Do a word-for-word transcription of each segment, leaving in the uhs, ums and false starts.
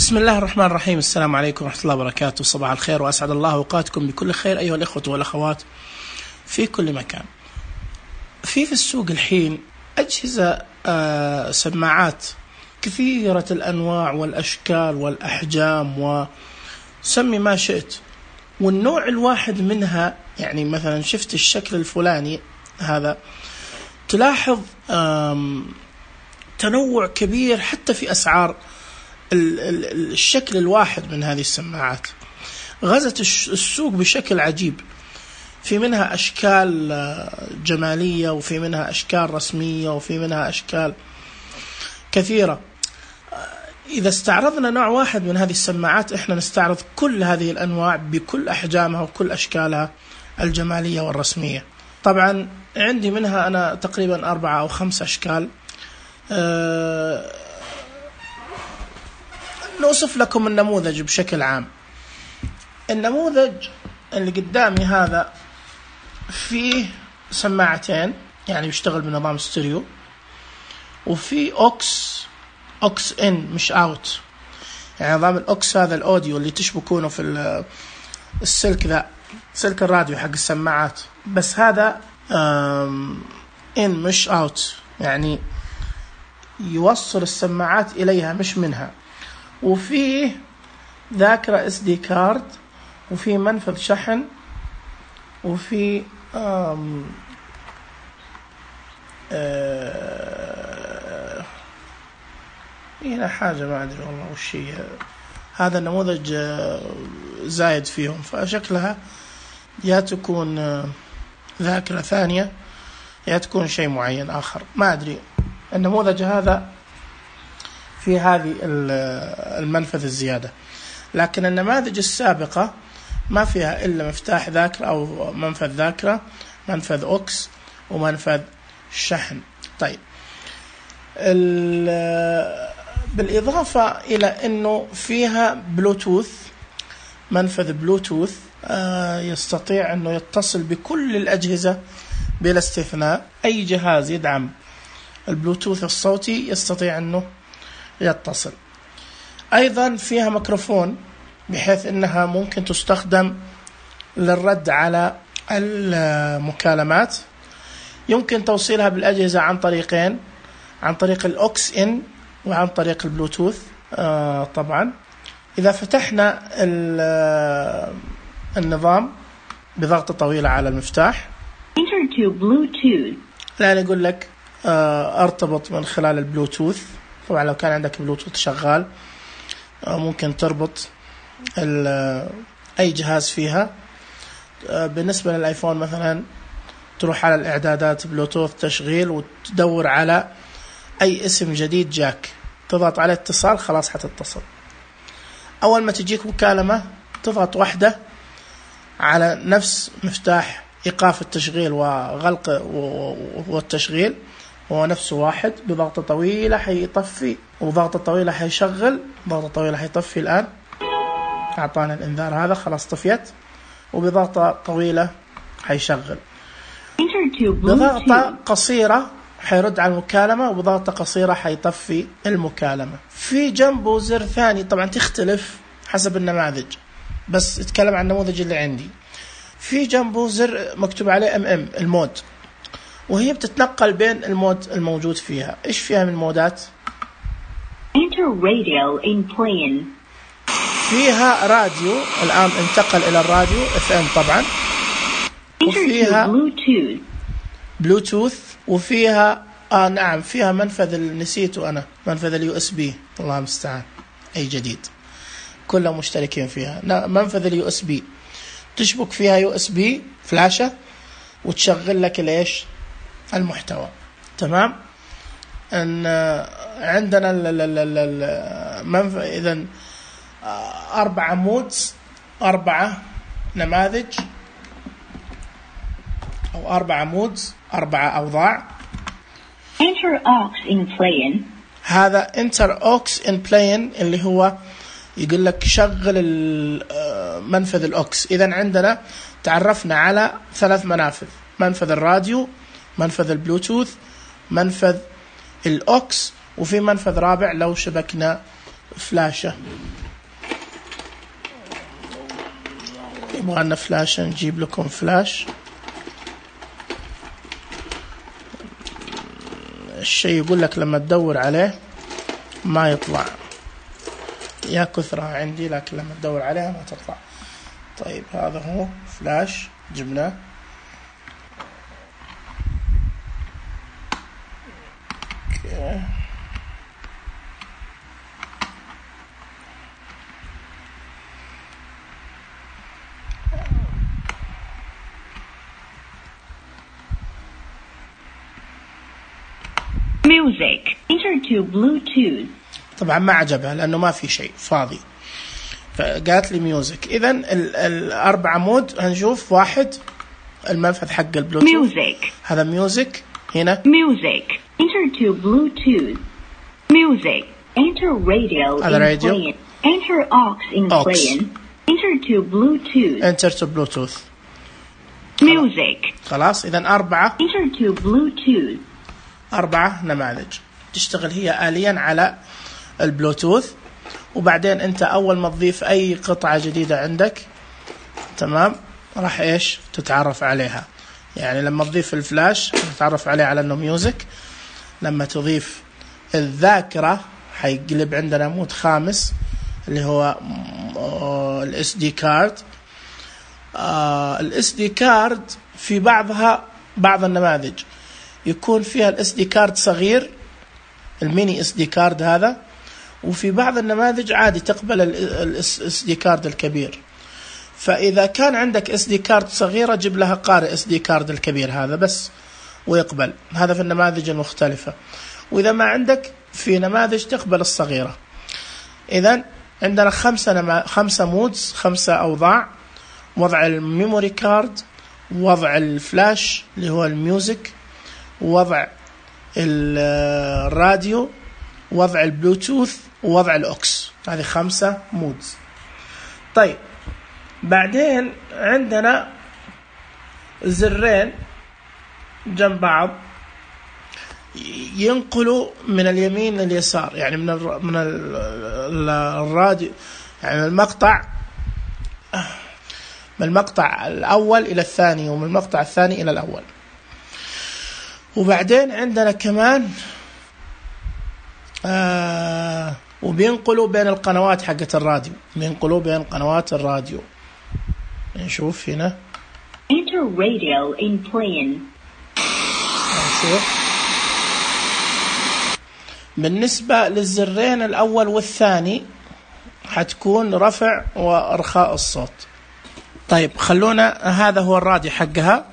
بسم الله الرحمن الرحيم. السلام عليكم ورحمة الله وبركاته. صباح الخير وأسعد الله أوقاتكم بكل خير أيها الإخوة والأخوات في كل مكان. في في السوق الحين أجهزة آه سماعات كثيرة الأنواع والأشكال والأحجام وسمي ما شئت، والنوع الواحد منها يعني مثلا شفت الشكل الفلاني هذا تلاحظ تنوع كبير حتى في أسعار الشكل الواحد من هذه السماعات. غزت السوق بشكل عجيب، في منها أشكال جمالية وفي منها أشكال رسمية وفي منها أشكال كثيرة. إذا استعرضنا نوع واحد من هذه السماعات إحنا نستعرض كل هذه الأنواع بكل أحجامها وكل أشكالها الجمالية والرسمية. طبعا عندي منها أنا تقريبا أربعة أو خمس أشكال. أه نوصف لكم النموذج بشكل عام. النموذج اللي قدامي هذا فيه سماعتين يعني بيشتغل بنظام ستيريو، وفي أوكس أوكس إن مش أوت، يعني نظام الأوكس هذا الأوديو اللي تشبكونه في السلك ذا سلك الراديو حق السماعات، بس هذا إن مش أوت، يعني يوصل السماعات إليها مش منها. وفيه ذاكرة اس دي كارد، وفي منفذ شحن، وفي آم آه هنا حاجة ما أدري والله وش هي. هذا النموذج زايد فيهم، فشكلها يا تكون ذاكرة ثانية يا تكون شيء معين آخر ما أدري. النموذج هذا في هذه المنفذ الزيادة، لكن النماذج السابقة ما فيها إلا مفتاح ذاكرة أو منفذ ذاكرة، منفذ أوكس، ومنفذ شحن. طيب بالإضافة إلى أنه فيها بلوتوث، منفذ بلوتوث يستطيع أنه يتصل بكل الأجهزة بلا استثناء. أي جهاز يدعم البلوتوث الصوتي يستطيع أنه يتصل. أيضا فيها ميكروفون بحيث أنها ممكن تستخدم للرد على المكالمات. يمكن توصيلها بالأجهزة عن طريقين، عن طريق الأوكس إن وعن طريق البلوتوث. آه طبعا إذا فتحنا النظام بضغطة طويلة على المفتاح لا يقول لك آه ارتبط من خلال البلوتوث. طبعا لو كان عندك بلوتوث شغال آه ممكن تربط أي جهاز فيها. آه بالنسبة للآيفون مثلا تروح على الإعدادات بلوتوث تشغيل وتدور على أي اسم جديد جاك، تضغط على اتصال خلاص حتتصل. أول ما تجيك مكالمة تضغط واحدة على نفس مفتاح إيقاف التشغيل وغلق والتشغيل، هو نفسه واحد، بضغطة طويلة حيطفي وضغطة طويلة حيشغل، ضغطة طويلة حيطفي. الآن أعطانا الإنذار هذا خلاص طفيت، وبضغطة طويلة حيشغل. بضغطة قصيرة حيرد على المكالمة، وبضغطة قصيرة حيطفي المكالمة. في جنبه زر ثاني طبعا تختلف حسب النماذج، بس اتكلم عن النموذج اللي عندي. في جنبه زر مكتوب عليه ام ام المود، وهي بتتنقل بين المود الموجود فيها. ايش فيها من مودات؟ Enter radio in plane. فيها راديو، الآن انتقل إلى الراديو اف ام طبعا، وفيها بلوتوث بلوتوث وفيها آه نعم فيها منفذ نسيته أنا، منفذ اليو اس بي. الله المستعان أي جديد، كلهم مشتركين فيها. منفذ اليو اس بي تشبك فيها يو اس بي فلاشة وتشغل لك ليش المحتوى. تمام. ان عندنا المنفذ اذا اربعة مودز، اربعة نماذج او اربعة مودز، اربعة اوضاع. Enter aux in plane. هذا enter aux in plane اللي هو يقول لك شغل منفذ الأوكس. إذن عندنا تعرفنا على ثلاث منافذ: منفذ الراديو، منفذ البلوتوث، منفذ الأوكس، وفي منفذ رابع لو شبكنا فلاشة يبغى لنا فلاش، نجيب لكم فلاش. الشيء يقول لك لما تدور عليه ما يطلع، يا كثرة عندي لكن لما تدور عليها ما تطلع. طيب هذا هو فلاش جبناه. اوكي Music. Enter to Bluetooth. طبعا ما عجبها لأنه ما في شيء فاضي، فقالت لي ميوزك. إذن الأربع عمود هنشوف واحد المنفذ حق البلوتوث. Music. هذا ميوزك هنا. Music. Enter to Bluetooth. Music. Enter radio هذا in راديو. plane. Enter aux in aux. plane. Enter to Bluetooth. Enter to Bluetooth. Music. خلاص إذن أربعة. Enter to Bluetooth. أربعة نماذج تشتغل هي آليا على البلوتوث. وبعدين أنت أول ما تضيف أي قطعة جديدة عندك تمام راح إيش تتعرف عليها. يعني لما تضيف الفلاش تتعرف عليه على أنه ميوزك. لما تضيف الذاكرة حيقلب عندنا مود خامس اللي هو الاس دي كارد. الاس دي كارد في بعضها بعض النماذج يكون فيها الاس دي كارد صغير، الميني اس دي كارد هذا، وفي بعض النماذج عادي تقبل الاس دي كارد الكبير. فاذا كان عندك اس دي كارد صغيره جيب لها قارئ اس دي كارد الكبير هذا بس ويقبل. هذا في النماذج المختلفه. واذا ما عندك في نماذج تقبل الصغيره. اذا عندنا خمسه نما... خمسه مودز، خمسه اوضاع: وضع الميموري كارد، وضع الفلاش اللي هو الميوزك، وضع الراديو، وضع البلوتوث، ووضع الأوكس. هذه خمسة مودز. طيب بعدين عندنا زرين جنب بعض ينقلوا من اليمين لليسار، يعني من الر... من الراديو، يعني المقطع من المقطع الأول إلى الثاني ومن المقطع الثاني إلى الأول. وبعدين عندنا كمان آه وبينقلوا بين القنوات حقت الراديو، بينقلوا بين قنوات الراديو. نشوف هنا Enter radio in plane. نشوف بالنسبة للزرين الأول والثاني حتكون رفع وإرخاء الصوت. طيب خلونا، هذا هو الراديو حقها.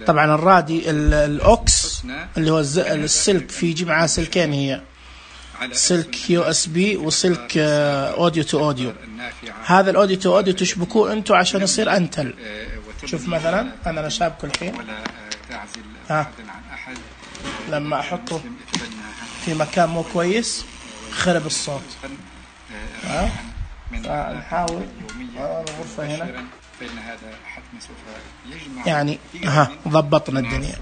طبعا الرادي الأوكس اللي هو السلك، في يجي معاه سلكين، هي سلك يو اس بي وسلك اوديو تو اوديو. هذا الاوديو تو اوديو تشبكوه انتوا عشان يصير انتل. شوف مثلا انا انا شابكه الحين، ها لما احطه في مكان مو كويس خرب الصوت. ها نحاول الغرفه هنا يعني ها ضبطنا الدنيا.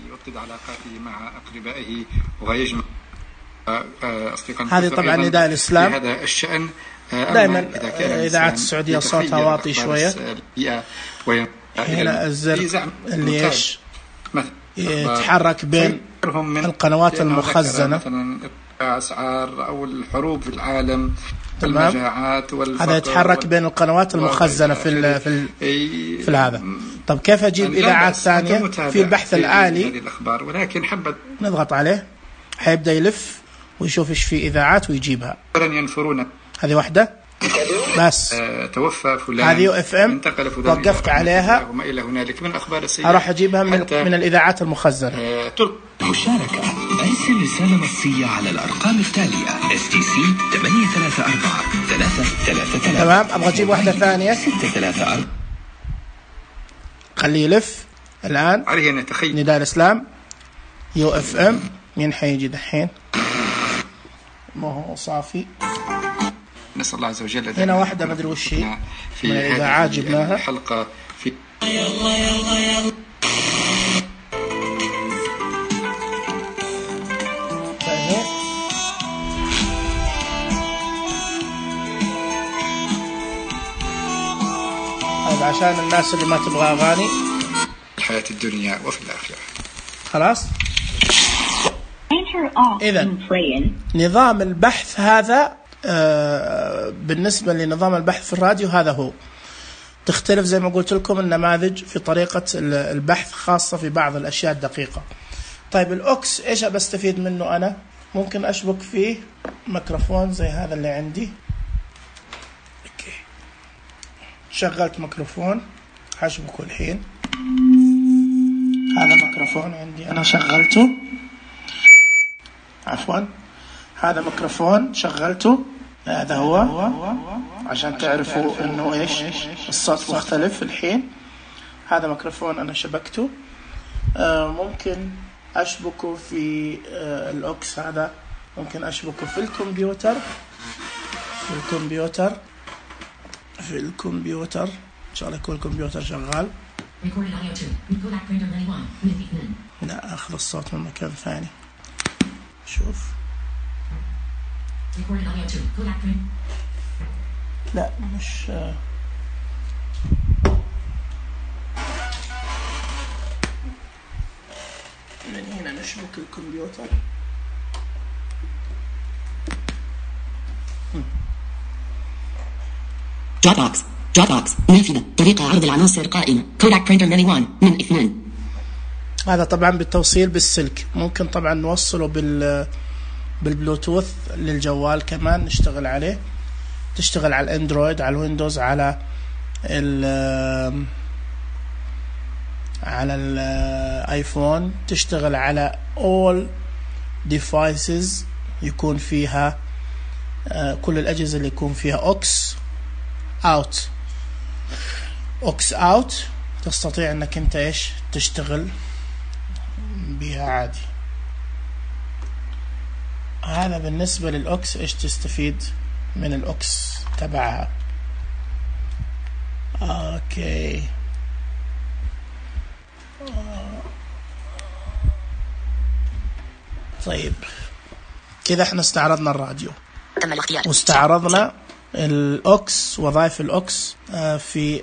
يوطد علاقاته مع أقربائه ويجمع أصدقائه. هذه طبعا نداء الإسلام. في هذا الشأن دائما إذاعة السعودية صوتها واطي شوية. هنا الزر اللي إيش يتحرك بين القنوات المخزنة، مثلا أسعار أو الحروب في العالم، المجاعات، هذا يتحرك بين القنوات المخزنة في ال في ال في هذا. طب كيف أجيب إذاعات ثانية؟ في البحث الآلي ولكن حبت نضغط عليه حيبدأ يلف ويشوف إيش في إذاعات ويجيبها. ينفرون. هذه واحدة بس. توفى فلان. هذه يو اف ام وقفت عليها. وما إلى هنالك من أخبار السيئة. أروح أجيبها من من الإذاعات المخزنة. مشاركة. أرسل رسالة نصية على الأرقام التالية: إس تي سي ثمانية ثلاثة أربعة ثلاثة ثلاثة ثلاثة. تمام. أبغى أجيب واحدة ثانية. ستة ثلاثة أربعة. خليه يلف الآن. عليه أن يتخيل. نداء الإسلام يو اف ام. مين حيجي دحين؟ ما هو صافي. نسأل الله عز وجل. هنا واحدة ما أدري وش هي في من الإذاعات جبناها. حلقة في يلا يلا يلا. هذا عشان الناس اللي ما تبغى أغاني الحياة الدنيا وفي الآخرة. خلاص. Enter off إذا in playing. نظام البحث هذا آه بالنسبة لنظام البحث في الراديو هذا هو. تختلف زي ما قلت لكم النماذج في طريقة البحث خاصة في بعض الأشياء الدقيقة. طيب الأوكس إيش بستفيد منه أنا؟ ممكن أشبك فيه ميكروفون زي هذا اللي عندي. أوكي. شغلت ميكروفون هشبكه الحين. هذا ميكروفون عندي أنا شغلته. عفوا هذا ميكروفون شغلته. هذا هو عشان تعرفوا إنه إيش الصوت مختلف الحين. هذا ميكروفون أنا شبكته. آه ممكن أشبكه في آه الأوكس هذا. ممكن أشبكه في الكمبيوتر في الكمبيوتر في الكمبيوتر إن شاء الله يكون الكمبيوتر شغال. لا أخذ الصوت من مكان ثاني. شوف لا مش من هنا نشبك الكمبيوتر. Dropbox Dropbox نافذة طريقة عرض العناصر قائمة كوداك برينتر ماني واحد من اثنين. هذا طبعا بالتوصيل بالسلك. ممكن طبعا نوصله بال بالبلوتوث للجوال كمان نشتغل عليه. تشتغل على الاندرويد على الويندوز على ال على الايفون. تشتغل على all devices يكون فيها كل الأجهزة اللي يكون فيها اوكس اوت اوكس اوت. تستطيع انك انت ايش تشتغل بها عادي. هذا بالنسبة للأوكس إيش تستفيد من الأوكس تبعها. أوكي طيب كذا احنا استعرضنا الراديو واستعرضنا الأوكس وظائف الأوكس في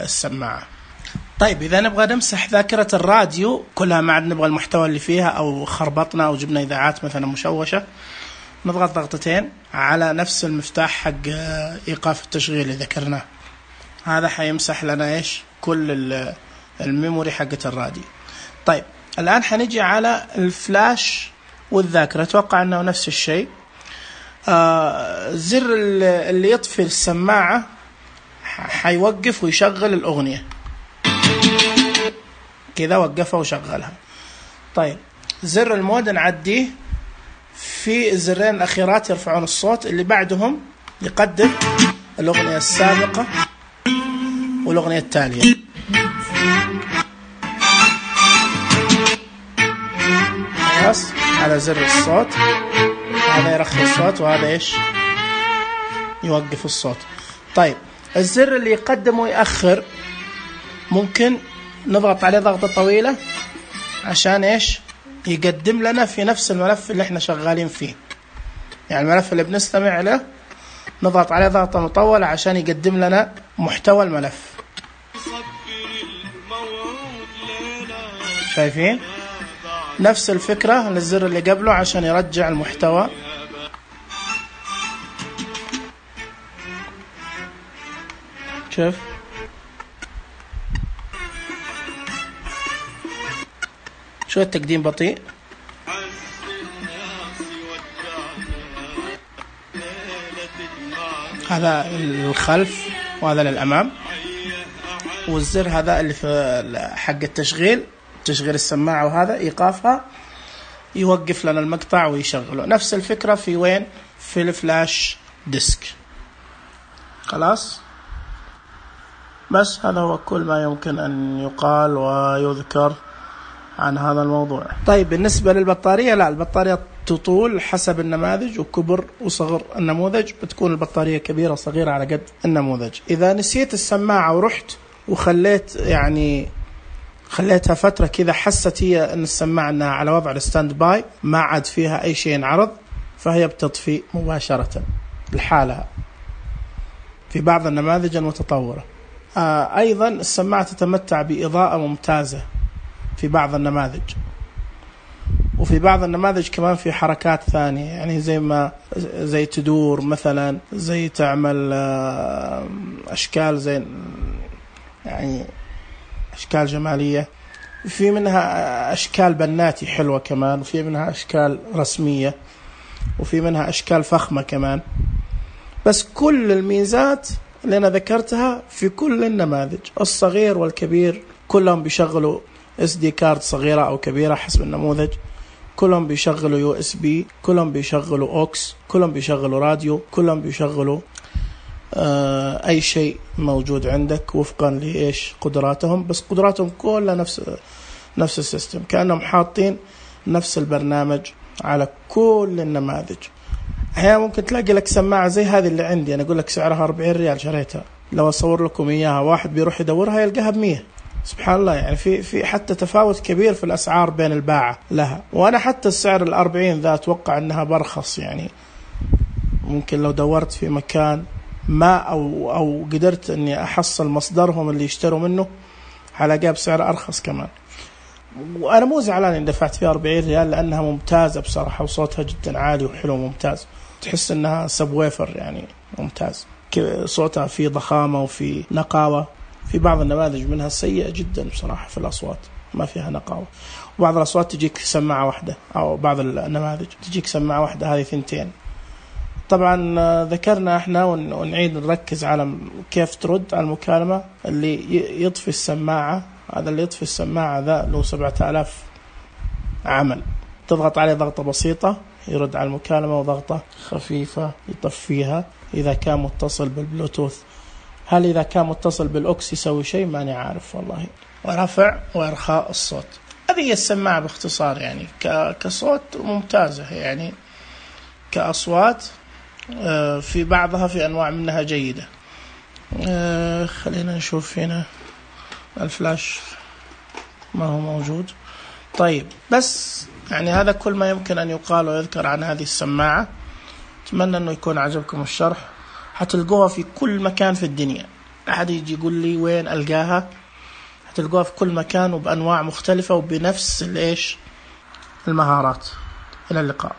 السماعة. طيب إذا نبغى نمسح ذاكرة الراديو كلها ما عاد نبغى المحتوى اللي فيها أو خربطنا أو جبنا إذاعات مثلا مشوشة نضغط ضغطتين على نفس المفتاح حق إيقاف التشغيل اللي ذكرناه. هذا حيمسح لنا إيش كل الميموري حقة الراديو. طيب الآن حنيجي على الفلاش والذاكرة. أتوقع أنه نفس الشيء. آه زر اللي يطفي السماعة حيوقف ويشغل الأغنية كذا وقفها وشغلها. طيب زر المود نعديه. في الزرين الأخيرات يرفعون الصوت اللي بعدهم يقدم الأغنية السابقة والأغنية التالية. خلاص هذا زر الصوت. هذا يرخي الصوت وهذا إيش يوقف الصوت. طيب الزر اللي يقدم ويأخر ممكن نضغط عليه ضغطة طويلة عشان إيش يقدم لنا في نفس الملف اللي احنا شغالين فيه. يعني الملف اللي بنستمع له نضغط عليه ضغطة مطولة عشان يقدم لنا محتوى الملف. شايفين نفس الفكرة للزر اللي قبله عشان يرجع المحتوى. شوف شو التقديم بطيء. هذا الخلف وهذا للأمام. والزر هذا اللي في حق التشغيل تشغيل السماعة وهذا إيقافها يوقف لنا المقطع ويشغله. نفس الفكرة في وين في الفلاش ديسك. خلاص بس هذا هو كل ما يمكن أن يقال ويذكر عن هذا الموضوع. طيب بالنسبة للبطارية لا البطارية تطول حسب النماذج وكبر وصغر النموذج. بتكون البطارية كبيرة صغيرة على قد النموذج. إذا نسيت السماعة ورحت وخليت يعني خليتها فترة كذا حست هي أن السماعة أنها على وضع الستاند باي ما عاد فيها أي شيء ينعرض فهي بتطفي مباشرة لحالها في بعض النماذج المتطورة. آه أيضا السماعة تتمتع بإضاءة ممتازة في بعض النماذج، وفي بعض النماذج كمان في حركات ثانية، يعني زي ما زي تدور مثلا، زي تعمل آه أشكال زي يعني أشكال جمالية، في منها أشكال بناتي حلوة كمان، وفي منها أشكال رسمية، وفي منها أشكال فخمة كمان. بس كل الميزات اللي أنا ذكرتها في كل النماذج الصغير والكبير كلهم بيشغلوا اس دي كارد صغيرة أو كبيرة حسب النموذج، كلهم بيشغلوا يو اس بي، كلهم بيشغلوا اوكس، كلهم بيشغلوا راديو، كلهم بيشغلوا آه أي شيء موجود عندك وفقا لإيش قدراتهم. بس قدراتهم كلها نفس نفس السيستم، كأنهم حاطين نفس البرنامج على كل النماذج. أحيانا ممكن تلاقي لك سماعة زي هذه اللي عندي، أنا أقول لك سعرها أربعين ريال شريتها، لو أصور لكم إياها واحد بيروح يدورها يلقاها بمية. سبحان الله، يعني في في حتى تفاوت كبير في الأسعار بين الباعة لها. وأنا حتى السعر الأربعين ذا أتوقع أنها برخص، يعني ممكن لو دورت في مكان ما أو أو قدرت أني أحصل مصدرهم اللي يشتروا منه حلاقيها بسعر أرخص كمان. وأنا مو زعلان إن دفعت فيها أربعين ريال لأنها ممتازة بصراحة، وصوتها جدا عالي وحلو ممتاز، تحس إنها سبويفر يعني ممتاز، صوتها فيه ضخامة وفي نقاوة. في بعض النماذج منها سيئة جدا بصراحة في الأصوات، ما فيها نقاوة، وبعض الأصوات تجيك سماعة واحدة، أو بعض النماذج تجيك سماعة واحدة هذه ثنتين. طبعا ذكرنا احنا ونعيد نركز على كيف ترد على المكالمة. اللي يطفي السماعة، هذا اللي يطفي السماعة ذا له سبعة آلاف عمل، تضغط عليه ضغطة بسيطة يرد على المكالمة، وضغطة خفيفة يطفيها إذا كان متصل بالبلوتوث. هل إذا كان متصل بالأوكس يسوي شيء؟ ماني عارف والله. ورفع وإرخاء الصوت، هذه السماعة باختصار يعني كصوت ممتازة، يعني كأصوات في بعضها في أنواع منها جيدة. خلينا نشوف هنا الفلاش ما هو موجود. طيب بس يعني هذا كل ما يمكن أن يقال ويذكر عن هذه السماعة. أتمنى أنه يكون عجبكم الشرح. هتلقوها في كل مكان في الدنيا، أحد يجي يقول لي وين ألقاها، هتلقوها في كل مكان وبأنواع مختلفة وبنفس الإيش المهارات. إلى اللقاء.